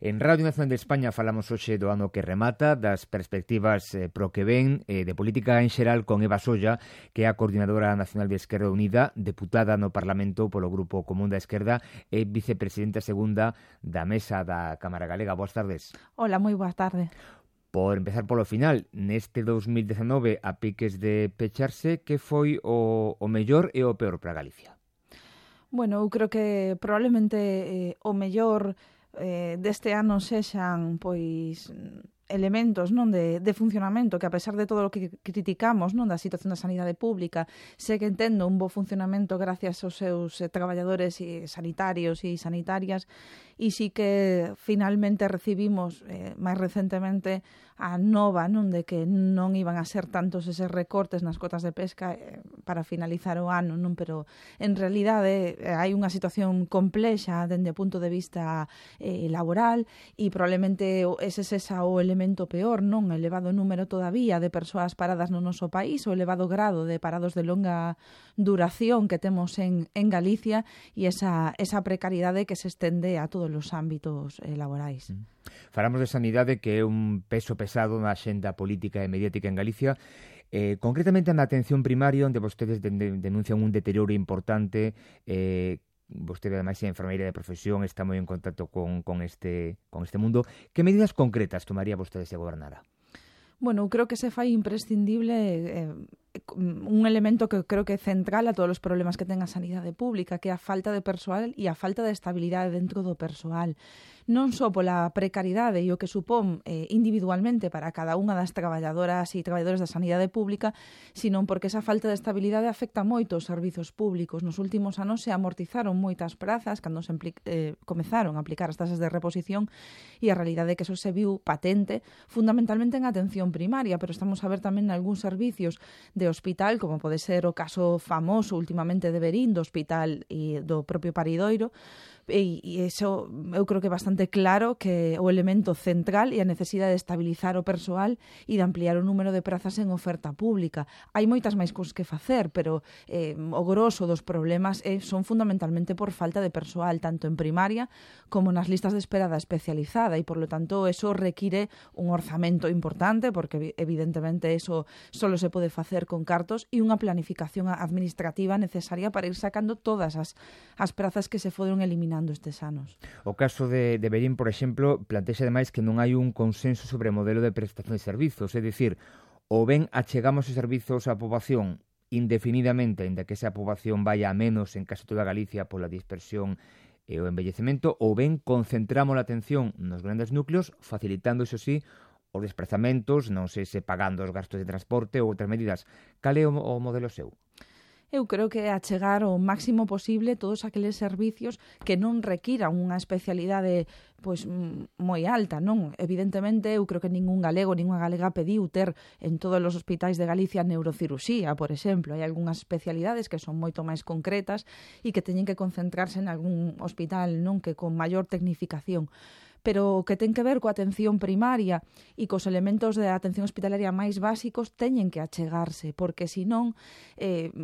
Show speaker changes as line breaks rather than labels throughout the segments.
En Radio Nacional de España falamos hoxe do ano que remata, das perspectivas pro que ven, de política en xeral con Eva Solla, que é a Coordinadora Nacional de Esquerda Unida, deputada no Parlamento polo Grupo Común da Esquerda e vicepresidenta segunda da Mesa da Cámara Galega. Boas tardes.
Hola, moi boa tarde.
Por empezar polo final, neste 2019, a piques de pecharse, que foi o mellor e o peor para Galicia?
Bueno, eu creo que probablemente o mellor deste ano sexan pois elementos non de funcionamento que, a pesar de todo o que criticamos non da situación da sanidade pública, segue tendo un bo funcionamento gracias aos seus traballadores sanitarios e sanitarias, e sí que finalmente recibimos máis recentemente a nova non de que non iban a ser tantos eses recortes nas cotas de pesca para finalizar o ano, non, pero en realidade hai unha situación complexa dende o punto de vista laboral, e probablemente ese sexa o elemento peor, non? O elevado número todavía de persoas paradas no noso país, o elevado grado de parados de longa duración que temos en Galicia, e esa precariedade que se estende a todos os ámbitos laborais.
Falamos de sanidade, que é un peso pesado na axenda política e mediática en Galicia, concretamente na atención primaria, onde vostedes denuncian un deterioro importante. Vostede, ademais, é enfermeira de profesión, está moi en contacto con este mundo. Que medidas concretas tomaría vostede se gobernara?
Bueno, eu creo que se fai imprescindible un elemento que creo que é central a todos os problemas que ten a sanidade pública, que é a falta de persoal e a falta de estabilidade dentro do persoal. Non só pola precariedade e o que supón individualmente para cada unha das traballadoras e traballadores da sanidade pública, sino porque esa falta de estabilidade afecta moito os servizos públicos. Nos últimos anos se amortizaron moitas prazas cando se comezaron a aplicar as tasas de reposición, e a realidade é que eso se viu patente fundamentalmente en atención primaria, pero estamos a ver tamén algúns servicios de hospital, como pode ser o caso famoso últimamente de Verín, do hospital e do propio Paridoiro, e iso eu creo que é bastante claro que o elemento central é a necesidade de estabilizar o persoal e de ampliar o número de prazas en oferta pública. Hai moitas máis cousas que facer, pero o grosso dos problemas son fundamentalmente por falta de persoal, tanto en primaria como nas listas de espera da especializada, e, por lo tanto, eso require un orzamento importante, porque evidentemente eso solo se pode facer con cartos, e unha planificación administrativa necesaria para ir sacando todas as prazas que se foron eliminando estes anos.
O caso de Verín, por exemplo, plantexa ademais que non hai un consenso sobre o modelo de prestación de servizos, é dicir, ou ben achegamos os servizos á poboación indefinidamente, ainda que esa poboación vaya a menos en case toda Galicia pola dispersión e o envellecemento, ou ben concentramos a atención nos grandes núcleos, facilitando, iso sí, os desplazamentos, non sei se pagando os gastos de transporte ou outras medidas. Cal é o modelo seu?
Eu creo que é achegar o máximo posible todos aqueles servicios que non requiran unha especialidade pois moi alta, non? Evidentemente, eu creo que ningún galego, ninguna galega pediu ter en todos os hospitais de Galicia neurocirusía, por exemplo. Hai algunhas especialidades que son moito máis concretas e que teñen que concentrarse en algún hospital, non, que con maior tecnificación. Pero o que ten que ver coa atención primaria e cos elementos de atención hospitalaria máis básicos teñen que achegarse, porque senón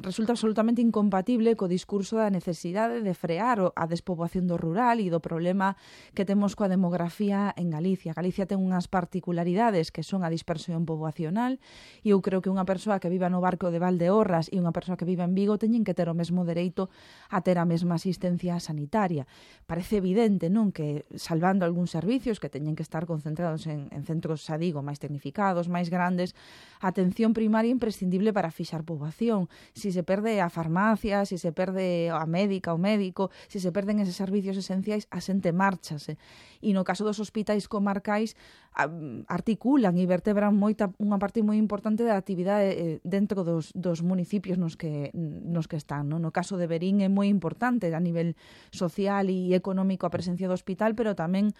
resulta absolutamente incompatible co discurso da necesidade de frear a despoboación do rural e do problema que temos coa demografía en Galicia. Galicia ten unhas particularidades que son a dispersión poboacional, e eu creo que unha persoa que viva no Barco de Valdeorras e unha persoa que viva en Vigo teñen que ter o mesmo dereito a ter a mesma asistencia sanitaria. Parece evidente, non, que salvando algún servicios que teñen que estar concentrados en centros, xa digo, máis tecnificados, máis grandes, a atención primaria é imprescindible para fixar poboación. Si se perde a farmacia, si se perde a médica, o médico, si se perden eses servicios esenciais, a xente márchase. E no caso dos hospitais comarcais, articulan e vertebran unha parte moi importante da actividade dentro dos municipios nos que están, non? No caso de Verín é moi importante a nivel social e económico a presencia do hospital, pero tamén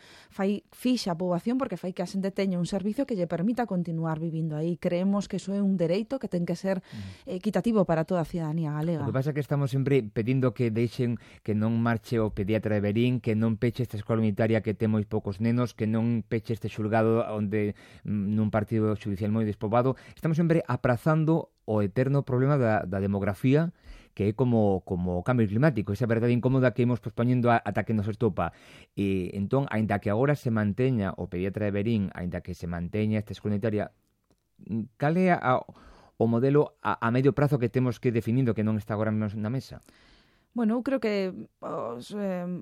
fixa a poboación porque fai que a xente teña un servicio que lle permita continuar vivindo aí. Creemos que iso é un dereito que ten que ser equitativo para toda a cidadanía galega.
O que pasa é que estamos sempre pedindo que deixen que non marche o pediatra de Verín, que non peche esta escola unitaria que ten moi poucos nenos, que non peche este xulgado onde nun partido judicial moi despoboado. Estamos sempre aprazando o eterno problema da demografía, que é como o cambio climático, esa verdade incómoda que imos pospoñendo ata que nos estopa. E entón, aínda que agora se manteña o pediatra de Verín, aínda que se manteña esta escola unitaria, cal é o modelo a medio prazo que temos que ir definindo que non está agora mesmo na mesa?
Bueno, eu creo que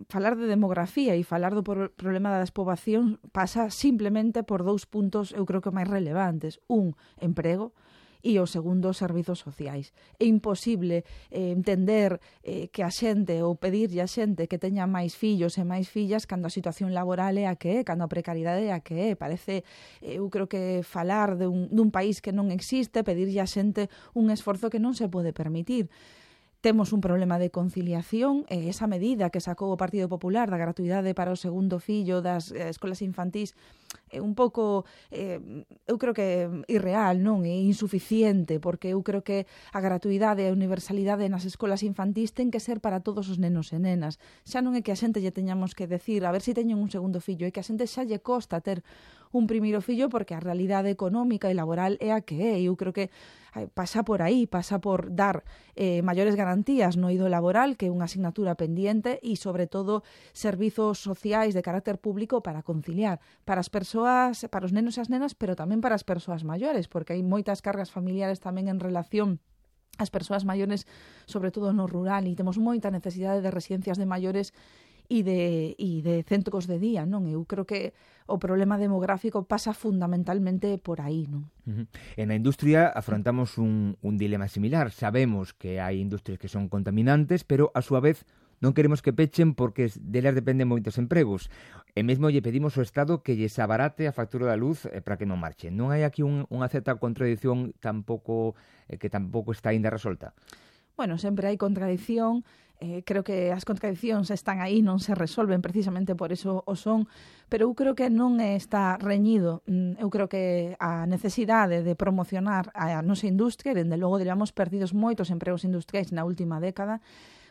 falar de demografía e falar do problema da despobación pasa simplemente por 2 puntos, eu creo que máis relevantes. Un, emprego, e o segundo, servizos sociais. É imposible entender que a xente ou pedirlle a xente que teña máis fillos e máis fillas cando a situación laboral é a que é, cando a precariedade é a que é. Parece, eu creo que falar dun país que non existe, pedirlle a xente un esforzo que non se pode permitir. Temos un problema de conciliación e esa medida que sacou o Partido Popular da gratuidade para o segundo fillo das escolas infantís é un pouco, eu creo que irreal, non? É insuficiente, porque eu creo que a gratuidade e a universalidade nas escolas infantís ten que ser para todos os nenos e nenas. Xa non é que a xente lle teñamos que decir a ver se teñen un segundo fillo, é que a xente xa lle costa ter un primeiro fillo porque a realidade económica e laboral é a que é. Eu creo que pasa por aí, pasa por dar maiores garantías no eido laboral, que é unha asignatura pendiente, e, sobre todo, servizos sociais de carácter público para conciliar para as persoas, para os nenos e as nenas, pero tamén para as persoas maiores, porque hai moitas cargas familiares tamén en relación ás persoas maiores, sobre todo no rural, e temos moita necesidade de residencias de maiores e de centros de día, non? Eu creo que o problema demográfico pasa fundamentalmente por aí, non?
En a industria afrontamos un dilema similar. Sabemos que hai industrias que son contaminantes, pero a súa vez non queremos que pechen porque delas dependen moitos empregos. E mesmo lle pedimos ao Estado que lles abarate a factura da luz para que non marchen. Non hai aquí unha certa contradición que tampouco está aínda resolta?
Bueno, sempre hai contradición. Creo que as contradicións están aí, non se resolven, precisamente por eso o son, pero eu creo que non está reñido. Eu creo que a necesidade de promocionar a nosa industria, dende logo debemos perdidos moitos empregos industriais na última década,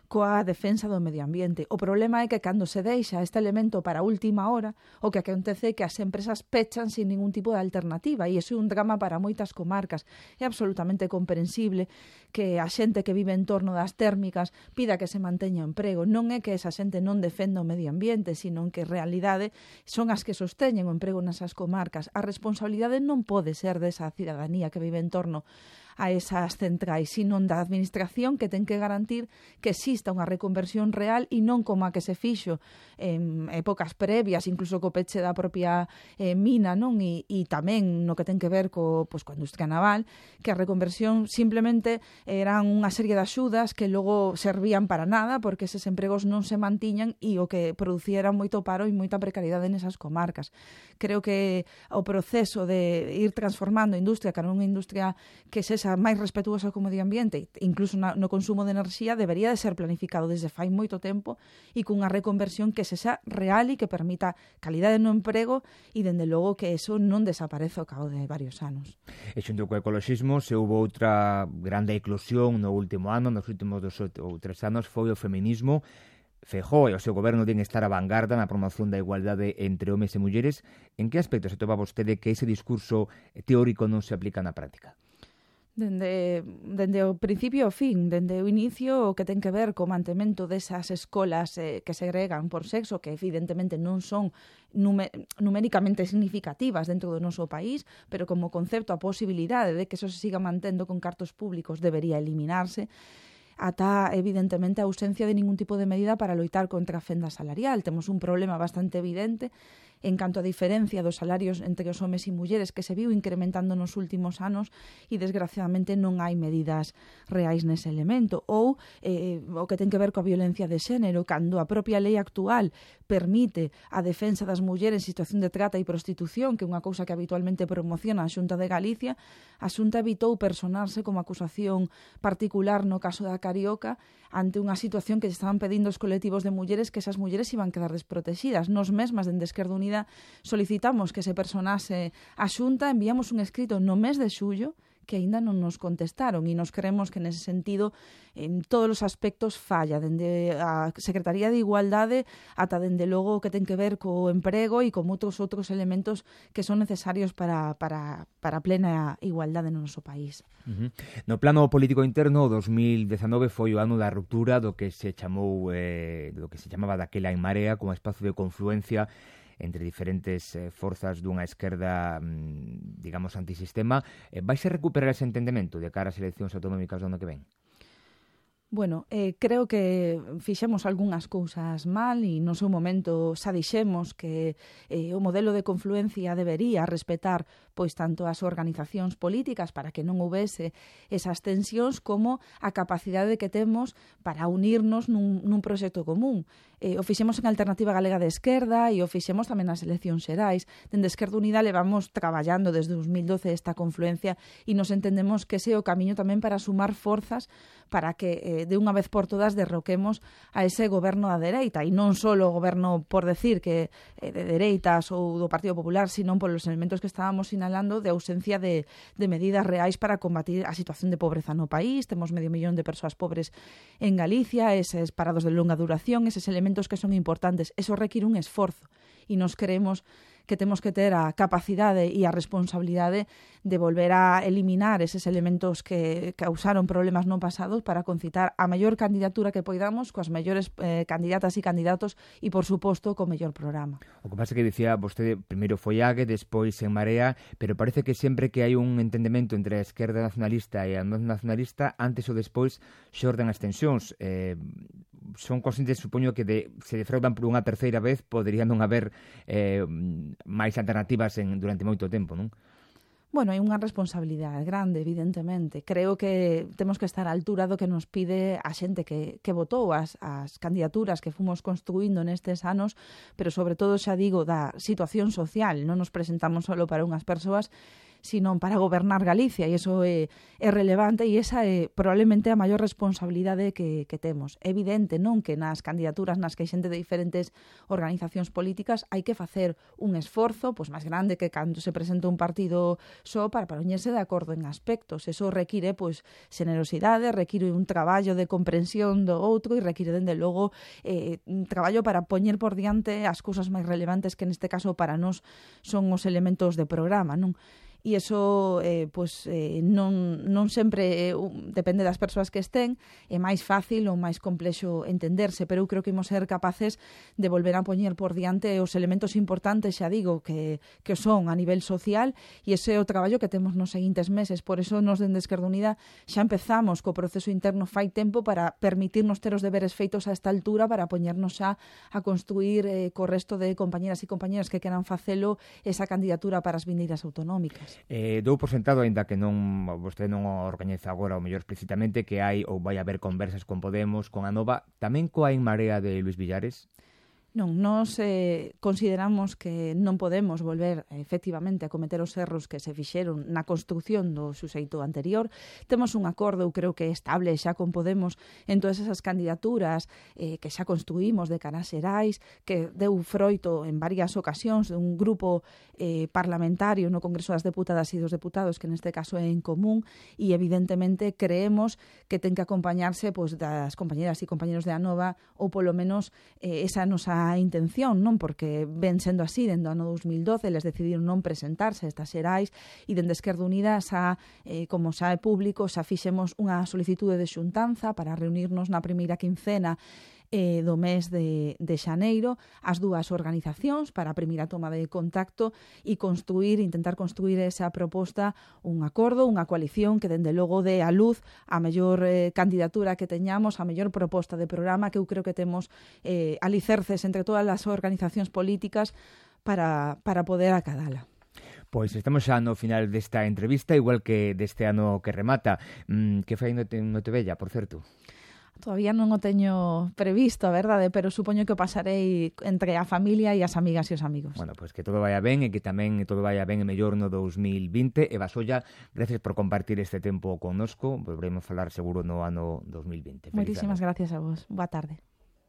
coa defensa do medio ambiente. O problema é que cando se deixa este elemento para a última hora, o que acontece é que as empresas pechan sin ningún tipo de alternativa, e iso é un drama para moitas comarcas. É absolutamente comprensible que a xente que vive en torno das térmicas pida que se manteña o emprego. Non é que esa xente non defenda o medio ambiente, sino que en realidade son as que sosteñen o emprego nesas comarcas. A responsabilidade non pode ser desa cidadanía que vive en torno a esas centrais, sino da administración, que ten que garantir que exista unha reconversión real e non como a que se fixo en épocas previas, incluso co peche da propia mina, non? E tamén no que ten que ver coa industria naval, que a reconversión simplemente eran unha serie de axudas que logo servían para nada porque eses empregos non se mantiñan e o que producía era moito paro e moita precariedade nesas comarcas. Creo que o proceso de ir transformando a industria cara a unha industria que sexa máis respetuosa co medio ambiente, incluso no consumo de enerxía, debería de ser planificado desde fai moito tempo e cunha reconversión que sexa real e que permita calidade no emprego e, dende logo, que eso non desaparece ao cabo de varios anos.
E xunto co ecoloxismo, se houve outra grande eclosión no último ano, nos últimos 2 ou 3 anos, foi o feminismo. Feijóo e o seu goberno den estar a vanguarda na promoción da igualdade entre homes e mulleres. En que aspecto se topa vostede que ese discurso teórico non se aplica na práctica?
Dende o principio ao fin, dende o inicio, o que ten que ver co mantemento desas escolas que segregan por sexo, que evidentemente non son numéricamente significativas dentro do noso país, pero como concepto a posibilidade de que eso se siga mantendo con cartos públicos debería eliminarse, ata, evidentemente, a ausencia de ningún tipo de medida para loitar contra a fenda salarial. Temos un problema bastante evidente en canto a diferencia dos salarios entre os homes e mulleres que se viu incrementando nos últimos anos e, desgraciadamente, non hai medidas reais nese elemento. Ou o que ten que ver coa violencia de xénero, cando a propia lei actual permite a defensa das mulleres en situación de trata e prostitución, que é unha cousa que habitualmente promociona a Xunta de Galicia, a Xunta evitou personarse como acusación particular no caso da Carioca ante unha situación que estaban pedindo os colectivos de mulleres, que esas mulleres iban quedar desprotegidas. Nos mesmas, dende Esquerda Unida, solicitamos que se personase a Xunta, enviamos un escrito no mes de xullo que aínda non nos contestaron e nos creemos que nese sentido en todos os aspectos falla, dende a Secretaría de Igualdade ata dende logo o que ten que ver co emprego e con outros elementos que son necesarios para a plena igualdade no noso país.
No plano político interno, o 2019 foi o ano da ruptura do que se chamou do que se chamaba daquela En Marea como espazo de confluencia entre diferentes forzas dunha esquerda, digamos, antisistema. Vaise recuperar ese entendemento de cara ás eleccións autonómicas do ano que ven?
Bueno, creo que fixemos algunhas cousas mal e no seu momento xa dixemos que o modelo de confluencia debería respetar pois tanto as organizacións políticas para que non houvese esas tensións como a capacidade que temos para unirnos nun proxecto común. O fixemos en Alternativa Galega de Esquerda e o fixemos tamén nas eleccións xerais. Dende Esquerda Unida levamos traballando desde 2012 esta confluencia e nos entendemos que ese é o camiño tamén para sumar forzas para que de unha vez por todas derroquemos a ese goberno da dereita e non só o goberno por decir que de dereitas ou do Partido Popular, sino polos elementos que estábamos sinalando de ausencia de medidas reais para combatir a situación de pobreza no país. Temos 500.000 de persoas pobres en Galicia, eses parados de longa duración, eses elementos que son importantes. Eso require un esforzo e nos creemos que temos que ter a capacidade e a responsabilidade de volver a eliminar eses elementos que causaron problemas no pasado para concitar a maior candidatura que poidamos coas mellores candidatas e candidatos e, por suposto, co mellor programa.
O que pasa que dicía vostede, primeiro foi AGE, despois En Marea, pero parece que sempre que hai un entendemento entre a esquerda nacionalista e a non nacionalista, antes ou despois xorden as tensións. Son conscientes, supoño, que se defraudan por unha terceira vez, podería non haber máis alternativas durante moito tempo, non?
Bueno, hai unha responsabilidade grande, evidentemente. Creo que temos que estar á altura do que nos pide a xente que votou as candidaturas que fomos construindo nestes anos, pero sobre todo, xa digo, da situación social. Non nos presentamos só para unhas persoas, sino para gobernar Galicia, e iso é relevante e esa é probablemente a maior responsabilidade que temos. É evidente, non, que nas candidaturas nas que hai xente de diferentes organizacións políticas hai que facer un esforzo pois máis grande que cando se presenta un partido só para poñerse de acordo en aspectos. Eso require pois xenerosidade, require un traballo de comprensión do outro e require, dende logo, un traballo para poñer por diante as cousas máis relevantes que neste caso para nós son os elementos de programa, non? E iso non sempre depende das persoas que estén, é máis fácil ou máis complexo entenderse, pero eu creo que imos ser capaces de volver a poñer por diante os elementos importantes, xa digo, que son a nivel social, e ese é o traballo que temos nos seguintes meses. Por eso nos dende Esquerda Unida xa empezamos co proceso interno fai tempo para permitirnos ter os deberes feitos a esta altura para poñernos xa a construir co resto de compañeras e compañeros que queran facelo esa candidatura para as vindeiras autonómicas.
Dou por sentado, aínda que vostede non o organiza agora, ou mellor explícitamente, que hai ou vai haber conversas con Podemos, con Anova, tamén coa En Marea de Luís Villares?
Non, nós consideramos que non podemos volver efectivamente a cometer os erros que se fixeron na construción do suxeito anterior. Temos un acordo, eu creo que estable xa con Podemos en todas esas candidaturas que xa construímos de cara a xerais, que deu froito en varias ocasións de un grupo parlamentario no Congreso das Deputadas e dos Deputados, que neste caso é en común, e evidentemente creemos que ten que acompañarse pois, das compañeras e compañeros de Anova, ou polo menos esa nosa intención, non? Porque ven sendo así, dende o ano 2012 eles decidiron non presentarse a estas xerais e dende Esquerda Unida como xa é público, xa fixemos unha solicitude de xuntanza para reunirnos na primeira quincena do mes de xaneiro as dúas organizacións para a primeira toma de contacto e intentar construir esa proposta, un acordo, unha coalición que dende logo dé a luz a mellor candidatura que teñamos, a mellor proposta de programa, que eu creo que temos alicerces entre todas as organizacións políticas para poder acadala.
Pois estamos xa no final desta entrevista, igual que deste ano que remata. Que fai no Tebella, por certo?
Todavía non o teño previsto, a verdade, pero supoño que o pasarei entre a familia e as amigas e os amigos.
Bueno, pois que todo vaya ben e que tamén todo vaya ben e mellor no 2020. Eva Solla, gracias por compartir este tempo connosco. Volveremos falar seguro no ano 2020.
Moitísimas gracias a vos. Boa tarde.